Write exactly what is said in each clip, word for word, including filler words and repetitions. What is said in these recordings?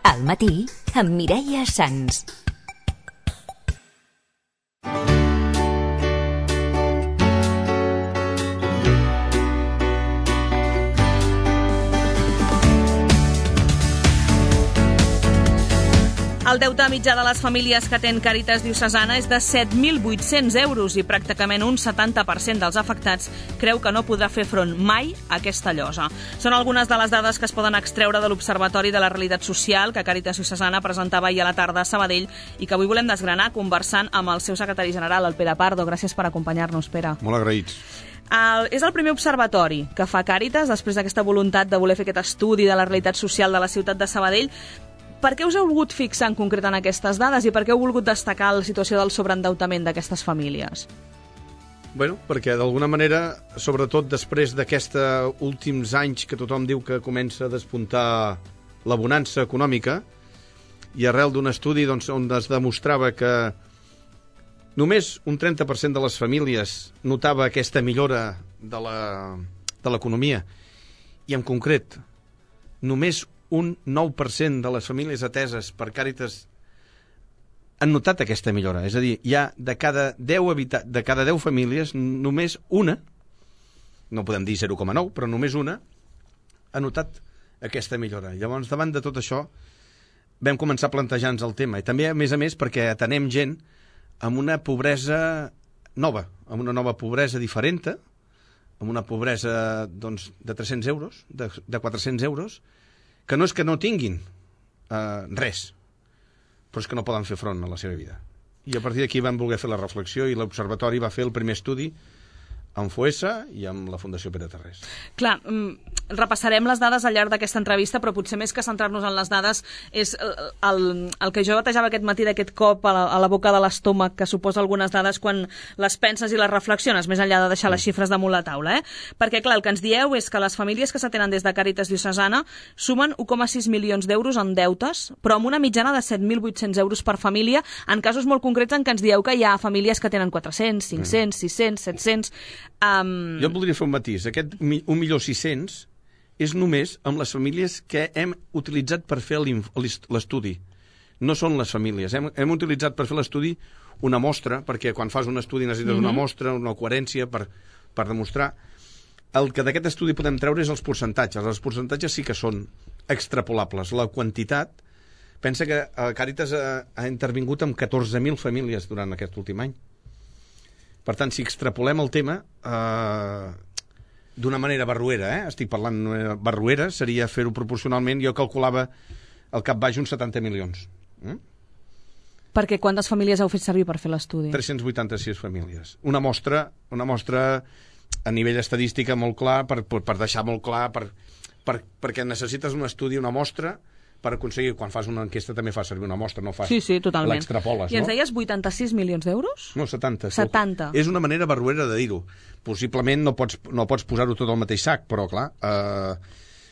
Al matí, amb Mireia Sans. El deute mitjà de les famílies que atén Càritas Diocesana és de set mil vuit-cents euros i pràcticament un setanta per cent dels afectats creu que no podrà fer front mai a aquesta llosa. Són algunes de les dades que es poden extreure de l'Observatori de la Realitat Social que Càritas Diocesana presentava ahir a la tarda a Sabadell i que avui volem desgranar conversant amb el seu secretari general, el Pere Pardo. Gràcies per acompanyar-nos, Pere. Molt agraïts. El, és el primer observatori que fa Càritas després d'aquesta voluntat de voler fer aquest estudi de la realitat social de la ciutat de Sabadell. Per què us heu volgut fixar en concret en aquestes dades i per què heu volgut destacar la situació del sobreendeutament d'aquestes famílies? Bueno, perquè d'alguna manera, sobretot després d'aquests últims anys que tothom diu que comença a despuntar la bonança econòmica i arrel d'un estudi doncs, on es demostrava que només un trenta per cent de les famílies notava aquesta millora de la, de l'economia i en concret només un nou per cent de les famílies ateses per Càritas han notat aquesta millora. És a dir, hi ha de cada deu, habita- de cada deu famílies, només una, no podem dir zero coma nou, però només una, ha notat aquesta millora. Llavors, davant de tot això, vam començar a plantejar-nos el tema. I també, a més a més, perquè atenem gent amb una pobresa nova, amb una nova pobresa diferent, amb una pobresa doncs, de tres-cents euros, de, de quatre-cents euros, que no és que no tinguin eh, res, però és que no poden fer front a la seva vida. I a partir d'aquí vam voler fer la reflexió i l'Observatori va fer el primer estudi amb Foessa i amb la Fundació Pere Tarrés. Clar, repassarem les dades al llarg d'aquesta entrevista, però potser més que centrar-nos en les dades és el, el, el que jo batejava aquest matí d'aquest cop a la, a la boca de l'estómac que suposa algunes dades quan les penses i les reflexiones, més enllà de deixar les xifres damunt la taula. Eh? Perquè, clar, el que ens dieu és que les famílies que s'atenen des de Càritas Diocesana sumen un coma sis milions d'euros en deutes, però amb una mitjana de set mil vuit-cents euros per família, en casos molt concrets en què ens dieu que hi ha famílies que tenen quatre-cents, cinc-cents, sis-cents, set-cents... Um... Jo voldria fer un matís. Aquest un milió sis-cents és només amb les famílies que hem utilitzat per fer l'estudi. No són les famílies. Hem, hem utilitzat per fer l'estudi una mostra, perquè quan fas un estudi necessites mm-hmm. una mostra, una coherència per, per demostrar. El que d'aquest estudi podem treure és els percentatges. Els percentatges sí que són extrapolables. La quantitat... Pensa que Càritas ha, ha intervingut amb catorze mil famílies durant aquest últim any. Per tant, si extrapolem el tema eh, d'una manera barruera, eh? estic parlant barruera, seria fer-ho proporcionalment, jo calculava al cap baix uns setanta milions. Eh? Perquè quantes famílies heu fet servir per fer l'estudi? tres-cents vuitanta-sis famílies. Una mostra, una mostra a nivell estadística molt clar, per, per, per deixar molt clar, per, per, perquè necessites un estudi, una mostra, per aconseguir, quan fas una enquesta també fas servir una mostra, no fas sí, sí, totalment. l'extrapoles. I ens no? deies vuitanta-sis milions d'euros? No, setanta. setanta. És una manera barruera de dir-ho. Possiblement no pots, no pots posar-ho tot al mateix sac, però clar, eh,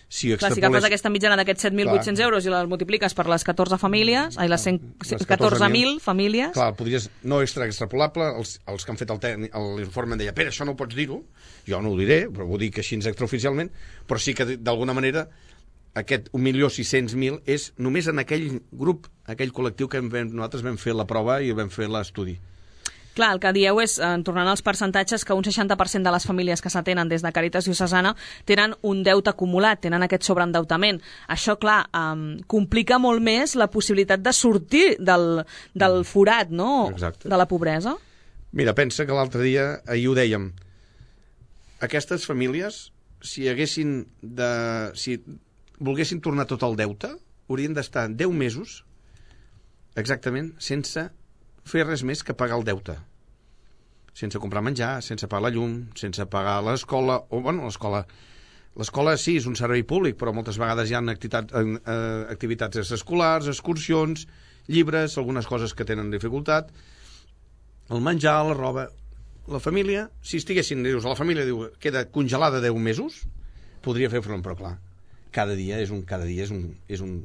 si extrapoles... Clar, si agafes aquesta mitjana d'aquests set mil vuit-cents euros i la multipliques per les catorze famílies, ai, les, cent, les catorze mil famílies... Clar, podries, no extra extrapolable, els, els que han fet l'informe em deia, Pere, això no pots dir-ho, jo no ho diré, però ho dic així extraoficialment, però sí que d'alguna manera aquest un milió sis-cents mil és només en aquell grup, aquell col·lectiu que vam, nosaltres vam fer la prova i vam fer l'estudi. Clar, el que dieu és, eh, tornant als percentatges, que un seixanta per cent de les famílies que s'atenen des de Càritas Diocesana tenen un deute acumulat, tenen aquest sobreendeutament. Això, clar, eh, complica molt més la possibilitat de sortir del, del forat, no?, exacte, de la pobresa. Mira, pensa que l'altre dia, ahir ho dèiem, aquestes famílies, si haguessin de... Si volguessin tornar tot el deute, haurien d'estar deu mesos exactament sense fer res més que pagar el deute. Sense comprar menjar, sense pagar la llum, sense pagar l'escola, o bueno, l'escola l'escola sí, és un servei públic, però moltes vegades hi ha activitats, eh, activitats escolars, excursions, llibres, algunes coses que tenen dificultat, el menjar, la roba. La família, si estiguessin, dius, la família diu, queda congelada deu mesos, podria fer front, però clar, cada dia és un cada dia és un, és un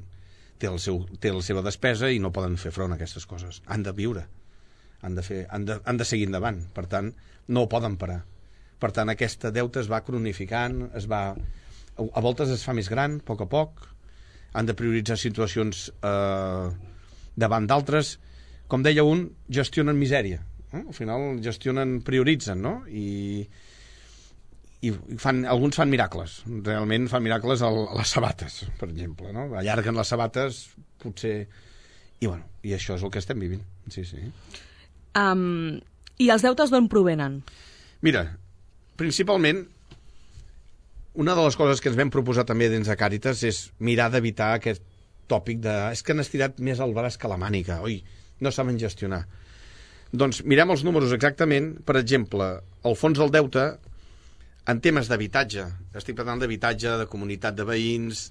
té, el seu, té la seva despesa i no poden fer front a aquestes coses. Han de viure, han de, fer, han de, han de seguir endavant, per tant no poden parar. Per tant, aquesta deute es va cronificant, es va, a voltes es fa més gran, a poc a poc, han de prioritzar situacions eh, davant d'altres. Com deia un, gestionen misèria. Eh? Al final gestionen, prioritzen, no? I, i fan, alguns fan miracles. Realment fan miracles a les sabates, per exemple. No? Allarguen les sabates, potser... I, bueno, i això és el que estem vivint. Sí, sí. Um, I els deutes d'on provenen? Mira, principalment, una de les coses que ens vam proposar també dins de Càritas és mirar d'evitar aquest tòpic de és que han estirat més el braç que la màniga, oi, no saben gestionar. Doncs mirem els números exactament. Per exemple, el fons del deute, en temes d'habitatge, estic parlant d'habitatge, de comunitat de veïns,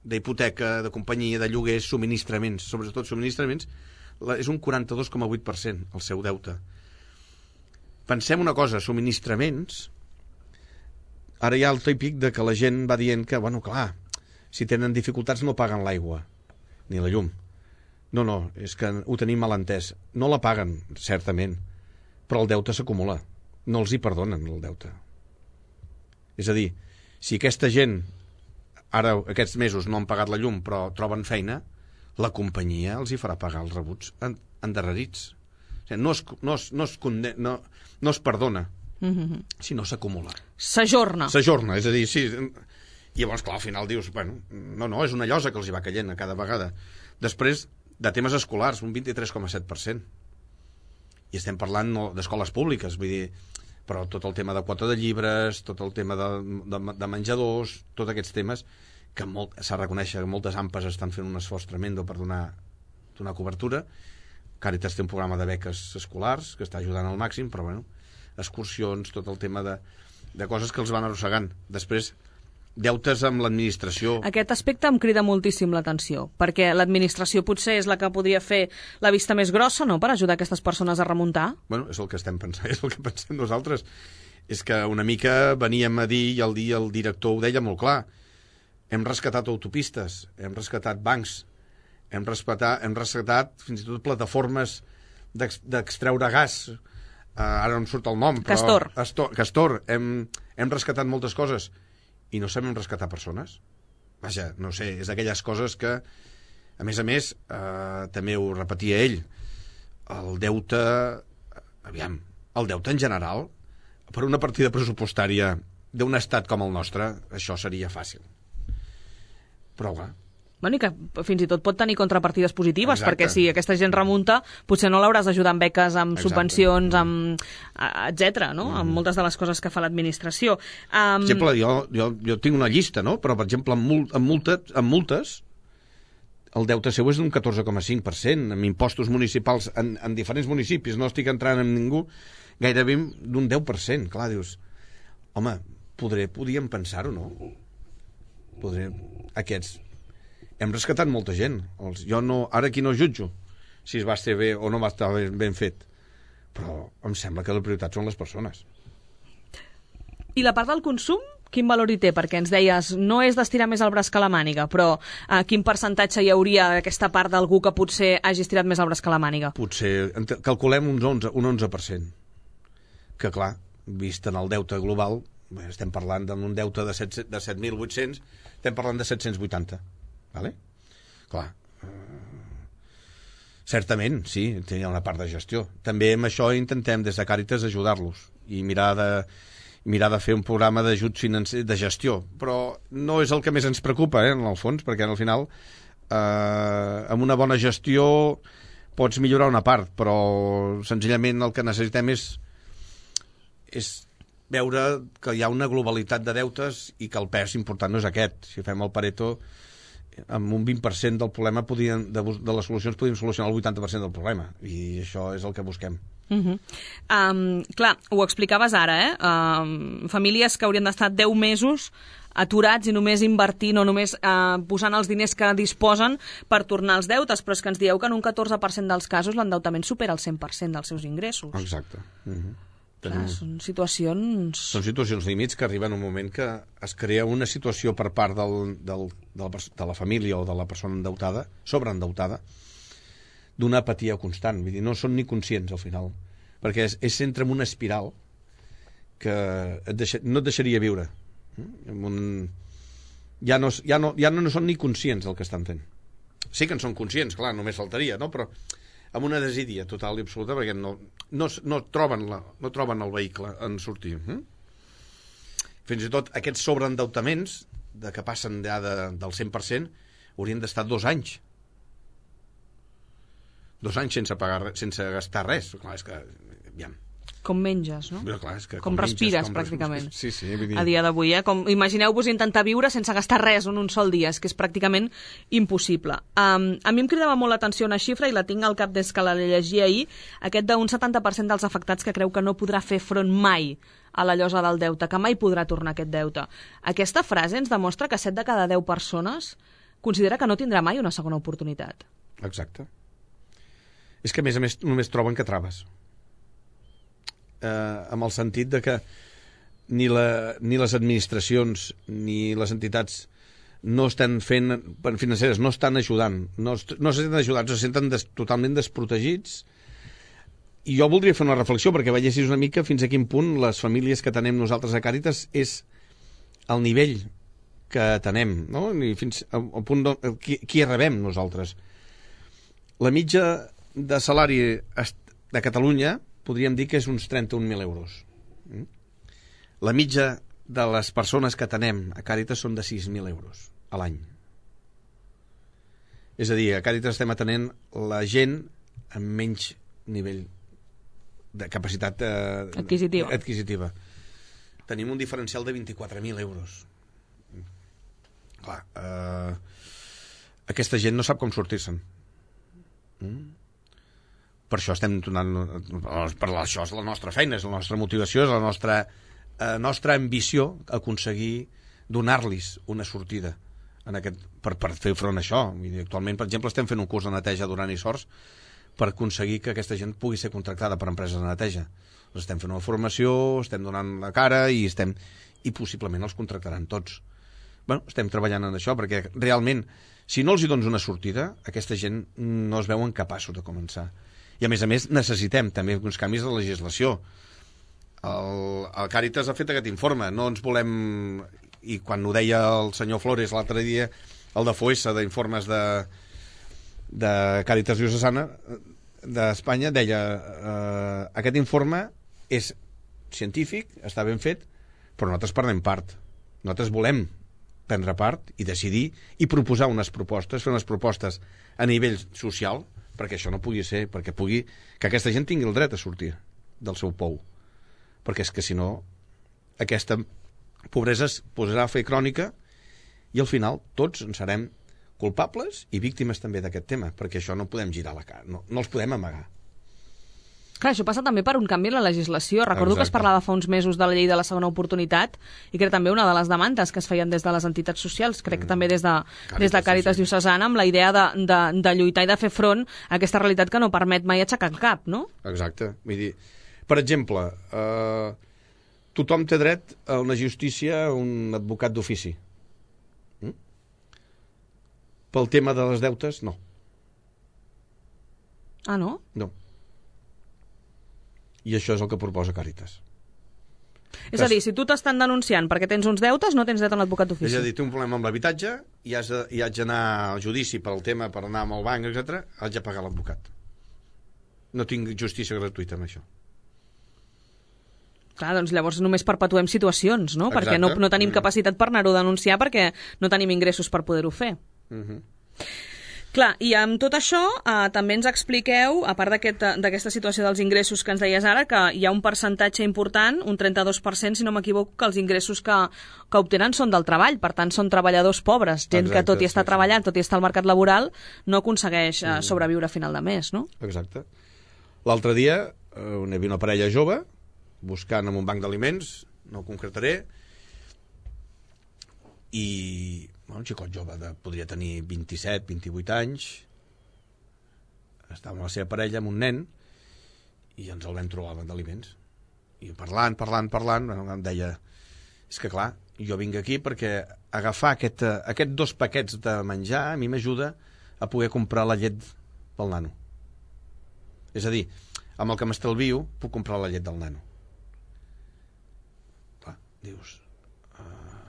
d'hipoteca, de companyia, de lloguers, subministraments, sobretot subministraments, és un quaranta-dos coma vuit per cent el seu deute. Pensem una cosa, subministraments, ara hi ha el típic de que la gent va dient que, bueno, clar, si tenen dificultats no paguen l'aigua, ni la llum. No, no, és que ho tenim mal entès. No la paguen, certament, però el deute s'acumula. No els hi perdonen, el deute. És a dir, si aquesta gent ara aquests mesos no han pagat la llum però troben feina, la companyia els hi farà pagar els rebuts endarrerits. O sigui, no, es, no, es, no, es conde, no, no es perdona, mm-hmm. sinó s'acumula. S'ajorna. S'ajorna, és a dir, sí. I llavors, clar, al final dius, bueno, no, no, és una llosa que els hi va caient a cada vegada. Després, de temes escolars, un vint-i-tres coma set per cent. I estem parlant no, d'escoles públiques, vull dir, però tot el tema de quota de llibres, tot el tema de, de, de menjadors, tots aquests temes que s'ha de reconèixer que moltes AMPAs estan fent un esforç tremendo per donar, donar cobertura. Càritas té un programa de beques escolars que està ajudant al màxim, però bueno, excursions, tot el tema de, de coses que els van arrossegant. Després, deutes amb l'administració. Aquest aspecte em crida moltíssim l'atenció, perquè l'administració potser és la que podria fer la vista més grossa, no?, per ajudar aquestes persones a remuntar. Bueno, és el que estem pensant, és el que pensem nosaltres. És que una mica veníem a dir, i el dia el director ho deia molt clar, hem rescatat autopistes, hem rescatat bancs, hem rescatat, hem rescatat fins i tot plataformes d'extreure gas, uh, ara no em surt el nom, però... Castor. Astor, Castor, hem, hem rescatat moltes coses, i no sabem rescatar persones. Vaja, no sé, és d'aquelles coses que, a més a més, eh, també ho repetia ell, el deute, aviam, el deute en general, per una partida pressupostària d'un estat com el nostre, això seria fàcil. Però, clar, Bueno, i que fins i tot pot tenir contrapartides positives, exacte. Perquè si aquesta gent remunta, potser no l'hauràs d'ajudar amb beques, amb exacte. Subvencions, amb etcètera, no? Mm. Amb moltes de les coses que fa l'administració. Um... Per exemple, jo, jo, jo tinc una llista, no? Però, per exemple, amb, mul amb, multes, amb multes, el deute seu és d'un catorze coma cinc per cent, amb impostos municipals en, en diferents municipis, no estic entrant en ningú, gairebé d'un deu per cent. Clar, dius, home, podré, podíem pensar-ho, no? Podré, aquests... Hem rescatat molta gent. Els, jo no, ara aquí no jutjo si es va estar bé o no va estar ben, ben fet. Però em sembla que la prioritat són les persones. I la part del consum, quin valor hi té? Perquè ens deies, no és d'estirar més el braç que la màniga, però eh, quin percentatge hi hauria d'aquesta part d'algú que potser hagi estirat més el braç que la màniga? Potser, calculem un onze, un onze per cent. Que clar, vist en el deute global, estem parlant d'un deute de set mil vuit-cents, estem parlant de set-cents vuitanta. Vale? Clar, uh, certament, sí, hi ha una part de gestió. També amb això intentem des de Càritas ajudar-los i mirar de, mirar de fer un programa d'ajut financer de gestió, però no és el que més ens preocupa, eh, en el fons, perquè al final eh, amb una bona gestió pots millorar una part, però senzillament el que necessitem és, és veure que hi ha una globalitat de deutes i que el pes important no és aquest. Si fem el Pareto, amb un vint per cent del problema podien, de, de les solucions podíem solucionar el vuitanta per cent del problema, i això és el que busquem. Uh-huh. um, clar, ho explicaves ara, eh? Um, famílies que haurien d'estar deu mesos aturats i només invertint o només uh, posant els diners que disposen per tornar els deutes, però és que ens dieu que en un catorze per cent dels casos l'endeutament supera el cent per cent dels seus ingressos. Exacte. Uh-huh. Clar, són situacions... Són situacions límits que arriben un moment que es crea una situació per part del, del, de, la, de la família o de la persona endeutada, sobreendeutada, d'una apatia constant. Vull dir, no són ni conscients al final, perquè és, és entra en una espiral que et deixa, no et deixaria viure. En un, ja no, ja, no, ja no són ni conscients del que estan fent. Sí que en són conscients, clar, només faltaria, no? Però amb una desídia total i absoluta, perquè no, no, no, troben, la, no troben el vehicle en sortir. Hm? Fins i tot aquests sobreendeutaments, de que passen ja de, del cent per cent, haurien d'estar dos anys. Dos anys sense pagar, sense gastar res. Clar, és que, aviam, com menges, no? Però clar, és que com, com menges, respires, com pràcticament. Sí, sí, dir... A dia d'avui, eh? Com, imagineu-vos intentar viure sense gastar res en un sol dia, és que és pràcticament impossible. Um, a mi em cridava molt l'atenció una xifra, i la tinc al cap des que la llegia ahir, aquest d'un setanta per cent dels afectats que creu que no podrà fer front mai a la llosa del deute, que mai podrà tornar aquest deute. Aquesta frase ens demostra que set de cada deu persones considera que no tindrà mai una segona oportunitat. Exacte. És que, a més a més, només troben que traves. Eh, amb el sentit de que ni, la, ni les administracions ni les entitats no estan fent, financeres, no estan ajudant, no, no se senten ajudats, se senten des, totalment desprotegits. I jo voldria fer una reflexió perquè veiessis una mica fins a quin punt les famílies que tenem nosaltres a Càritas és el nivell que tenem, no? I fins al punt de, qui, qui rebem nosaltres. La mitja de salari de Catalunya podríem dir que és uns trenta-un mil euros. La mitja de les persones que tenem a Càritas són de sis mil euros a l'any. És a dir, a Càritas estem atenent la gent amb menys nivell de capacitat eh, adquisitiva. adquisitiva. Tenim un diferencial de vint-i-quatre mil euros. Clar, eh, aquesta gent no sap com sortir-se'n. Mm? Per això estem donant, per això és la nostra feina, és la nostra motivació, és la nostra, eh, nostra ambició aconseguir donar-los una sortida en aquest, per, per fer front a això. I actualment, per exemple, estem fent un curs de neteja Duran i Sors per aconseguir que aquesta gent pugui ser contractada per empreses de neteja. Els estem fent una formació, estem donant la cara i estem i possiblement els contractaran tots. Bueno, estem treballant en això perquè realment, si no els hi dones una sortida, aquesta gent no es veuen capaços de començar. I a més a més necessitem també uns canvis de legislació. El, el Càritas ha fet aquest informe, no ens volem, i quan ho deia el senyor Flores l'altre dia, el de Foessa, d'informes de, de Càritas Diocesana d'Espanya, deia eh, aquest informe és científic, està ben fet, però nosaltres prenem part. Nosaltres volem prendre part i decidir i proposar unes propostes, fer unes propostes a nivell social, perquè això no pugui ser, perquè pugui que aquesta gent tingui el dret a sortir del seu pou, perquè és que si no aquesta pobresa es posarà a fer crònica i al final tots en serem culpables i víctimes també d'aquest tema, perquè això no podem girar la cara, no, no els podem amagar. Clar, això passa també per un canvi en la legislació. Recordo Exacte. que es parlava fa uns mesos de la llei de la segona oportunitat i que era també una de les demandes que es feien des de les entitats socials, crec que també des de, Càritas, des de Càritas sí, sí. Diocesana, amb la idea de, de, de lluitar i de fer front a aquesta realitat que no permet mai aixecar el cap, no? Exacte. Vull dir, per exemple, eh, tothom té dret a una justícia, a un advocat d'ofici. Mm? Pel tema de les deutes, no. Ah, no? No. I això és el que proposa Càritas. És a dir, si tu t'estan denunciant perquè tens uns deutes, no tens dret a un advocat d'ofici. És a dir, té un problema amb l'habitatge i has de, i haig d'anar al judici per al tema, per anar amb el banc, etcètera, haig de pagar l'advocat. No tinc justícia gratuïta amb això. Clar, doncs llavors només perpetuem situacions, no? Exacte. Perquè no, no tenim Mm. capacitat per anar-ho a denunciar perquè no tenim ingressos per poder-ho fer. Mhm. Clar, i amb tot això eh, també ens expliqueu, a part d'aquesta aquest, situació dels ingressos que ens deies ara, que hi ha un percentatge important, un trenta-dos per cent, si no m'equivoco, que els ingressos que, que obtenen són del treball, per tant són treballadors pobres, gent Exacte, que tot i estar sí, sí. treballant, tot i estar al mercat laboral, no aconsegueix eh, sobreviure a final de mes, no? Exacte. L'altre dia eh, hi havia una parella jove buscant en un banc d'aliments, no ho concretaré, i bueno, un xicot jove de, podria tenir vint-i-set, vint-i-vuit anys, estava amb la seva parella, amb un nen, i ens el vam trobar al banc d'aliments. I parlant, parlant, parlant, em deia, és que clar, jo vinc aquí perquè agafar aquest, aquest dos paquets de menjar a mi m'ajuda a poder comprar la llet pel nano. És a dir, amb el que m'estalvio puc comprar la llet del nano. Clar, dius, uh,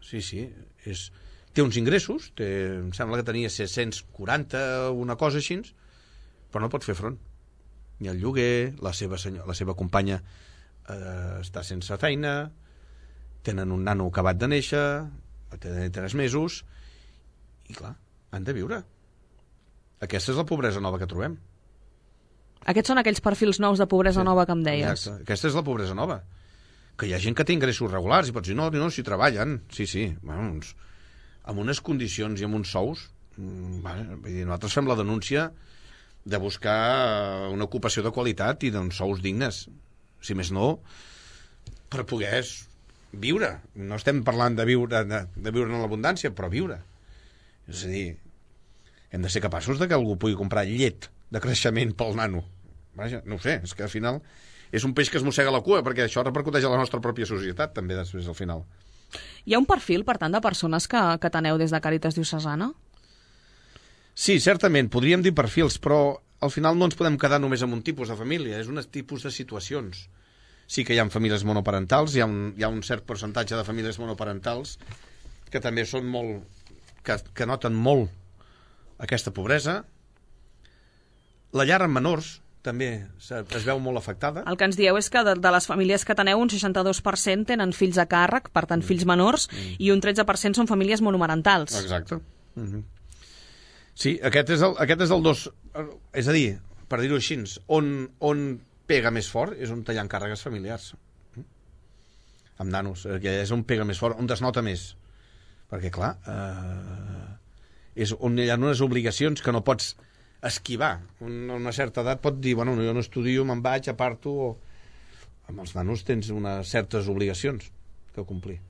sí, sí, és... té uns ingressos, té, em sembla que tenia sis-cents quaranta, una cosa així, però no pot fer front. Ni el lloguer, la seva, senyor, la seva companya eh, està sense feina, tenen un nano acabat de néixer, té tres mesos, i clar, han de viure. Aquesta és la pobresa nova que trobem. Aquests són aquells perfils nous de pobresa sí, nova que em deies. Exacte. Aquesta és la pobresa nova. Que hi ha gent que té ingressos regulars i pots dir, no, no, si treballen. Sí, sí, bueno, uns, amb unes condicions i amb uns sous. Bueno, vull dir, nosaltres fem la denúncia de buscar una ocupació de qualitat i d'uns sous dignes. Si més no, per poder viure. No estem parlant de viure, de, de viure en l'abundància, però viure. És a dir, hem de ser capaços de que algú pugui comprar llet de creixement pel nano. Vaja, no ho sé, és que al final és un peix que es mossega la cua, perquè això repercuteix a la nostra pròpia societat, també, després, al final. Hi ha un perfil, per tant, de persones que, que teneu des de Càritas Diocesana? Sí, certament, podríem dir perfils, però al final no ens podem quedar només amb un tipus de família, és un tipus de situacions. Sí que hi ha famílies monoparentals, hi ha un, hi ha un cert percentatge de famílies monoparentals que també són molt... que, que noten molt aquesta pobresa. La llar amb menors també es veu molt afectada. El que ens dieu és que de, de les famílies que teneu, un seixanta-dos per cent tenen fills a càrrec, per tant, fills menors, mm. i un tretze per cent són famílies monomarentals. Exacte. Mm-hmm. Sí, aquest és el, aquest és el dos... És a dir, per dir-ho així, on, on pega més fort és on tallant càrregues familiars. Amb nanos, que és on pega més fort, on desnota més. Perquè, clar, eh, és on hi ha unes obligacions que no pots esquivar. Una, una certa edat pot dir, bueno, jo no estudio, me'n vaig, aparto... O... Amb els nanos tens unes certes obligacions que complir.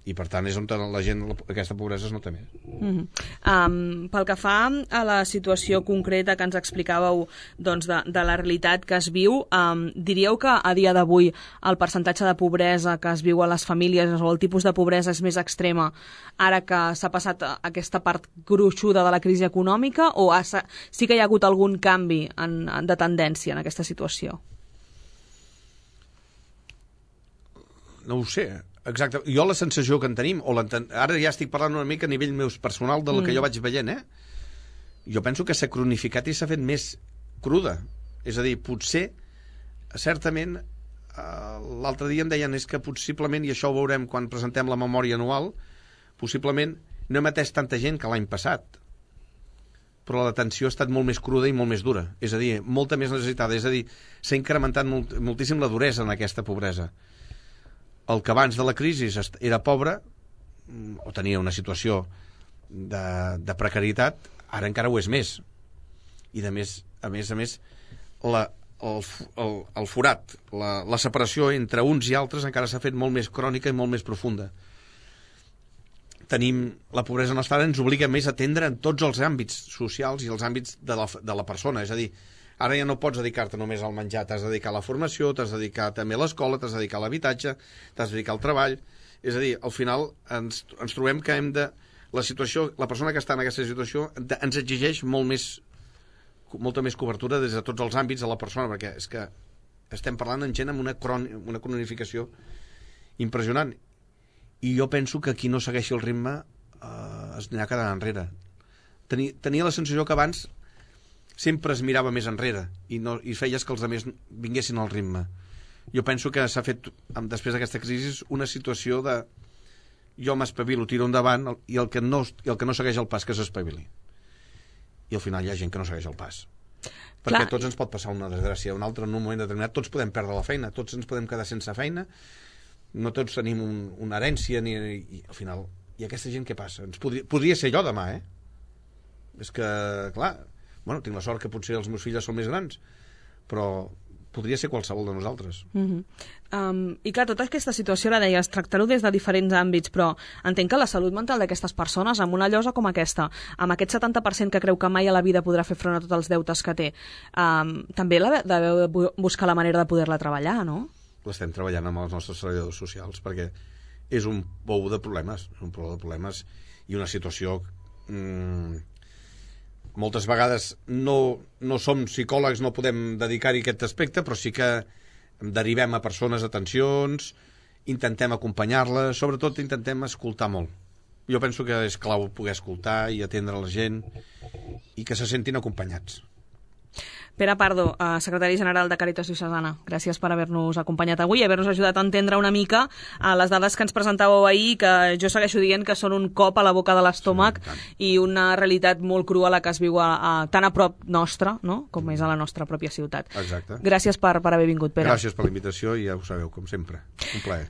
I, per tant, és on la gent, aquesta pobresa es nota més. Mm-hmm. um, pel que fa a la situació concreta que ens explicàveu, doncs, de, de la realitat que es viu, um, diríeu que a dia d'avui el percentatge de pobresa que es viu a les famílies o el tipus de pobresa és més extrema ara que s'ha passat aquesta part gruixuda de la crisi econòmica, o ha, sí que hi ha hagut algun canvi en, de tendència en aquesta situació? No ho sé. Exacte. Jo la sensació que en tenim, o ara ja estic parlant una mica a nivell meu personal del mm. que jo vaig veient, eh? Jo penso que s'ha cronificat i s'ha fet més cruda. És a dir, potser, certament, eh, l'altre dia em deien és que possiblement, i això ho veurem quan presentem la memòria anual, possiblement no hem atès tanta gent que l'any passat. Però l'atenció ha estat molt més cruda i molt més dura. És a dir, molta més necessitada. És a dir, s'ha incrementat molt, moltíssim la duresa en aquesta pobresa. El que abans de la crisi era pobre o tenia una situació de, de precarietat, ara encara ho és més. I de més, a més a més, la, el, el, el forat, la, la separació entre uns i altres encara s'ha fet molt més crònica i molt més profunda. Tenim la pobresa nostra, ens obliga més a atendre en tots els àmbits socials i els àmbits de la, de la persona. És a dir, ara ja no pots dedicar-te només al menjar, t'has de dedicar a la formació, t'has de dedicar també a l'escola, t'has de dedicar a l'habitatge, t'has de dedicar al treball. És a dir, al final ens, ens trobem que hem de... La situació, la persona que està en aquesta situació de, ens exigeix molt més, molta més cobertura des de tots els àmbits de la persona, perquè és que estem parlant en gent amb una, cron, una cronificació impressionant. I jo penso que qui no segueixi el ritme eh, es anirà quedant enrere. Tenia, tenia la sensació que abans sempre es mirava més enrere i, no, i feies que els altres vinguessin al ritme. Jo penso que s'ha fet, després d'aquesta crisi, una situació de jo m'espavilo, tiro endavant, i el que no, i el que no segueix el pas que s'espavili. I al final hi ha gent que no segueix el pas. Perquè Clar. Tots ens pot passar una desgràcia, un altre en un moment determinat, tots podem perdre la feina, tots ens podem quedar sense feina, no tots tenim un, una herència, ni, i al final, i aquesta gent què passa? Ens podria, podria ser jo demà, eh? És que, clar... Bueno, tinc la sort que potser els meus fills són més grans, però podria ser qualsevol de nosaltres. Mm-hmm. um, I clar, tota aquesta situació, la deies, tractar-ho des de diferents àmbits, però entenc que la salut mental d'aquestes persones, amb una llosa com aquesta, amb aquest setanta per cent que creu que mai a la vida podrà fer front a tots els deutes que té, um, també la deveu de buscar la manera de poder-la treballar, no? L'estem treballant amb els nostres treballadors socials, perquè és un pou de problemes, un pou de problemes i una situació... Mm, moltes vegades no, no som psicòlegs, no podem dedicar-hi aquest aspecte, però sí que derivem a persones atencions, intentem acompanyar-les, sobretot intentem escoltar molt, jo penso que és clau poder escoltar i atendre la gent i que se sentin acompanyats. Pere Pardo, secretari general de Càritas Diocesana, gràcies per haver-nos acompanyat avui i haver-nos ajudat a entendre una mica les dades que ens presentàveu ahir, que jo segueixo dient que són un cop a la boca de l'estómac sí, i una realitat molt crua la que es viu a, a, tan a prop nostra, no?, com és a la nostra pròpia ciutat. Exacte. Gràcies per, per haver vingut, Pere. Gràcies per la invitació i ja ho sabeu, com sempre. Un plaer.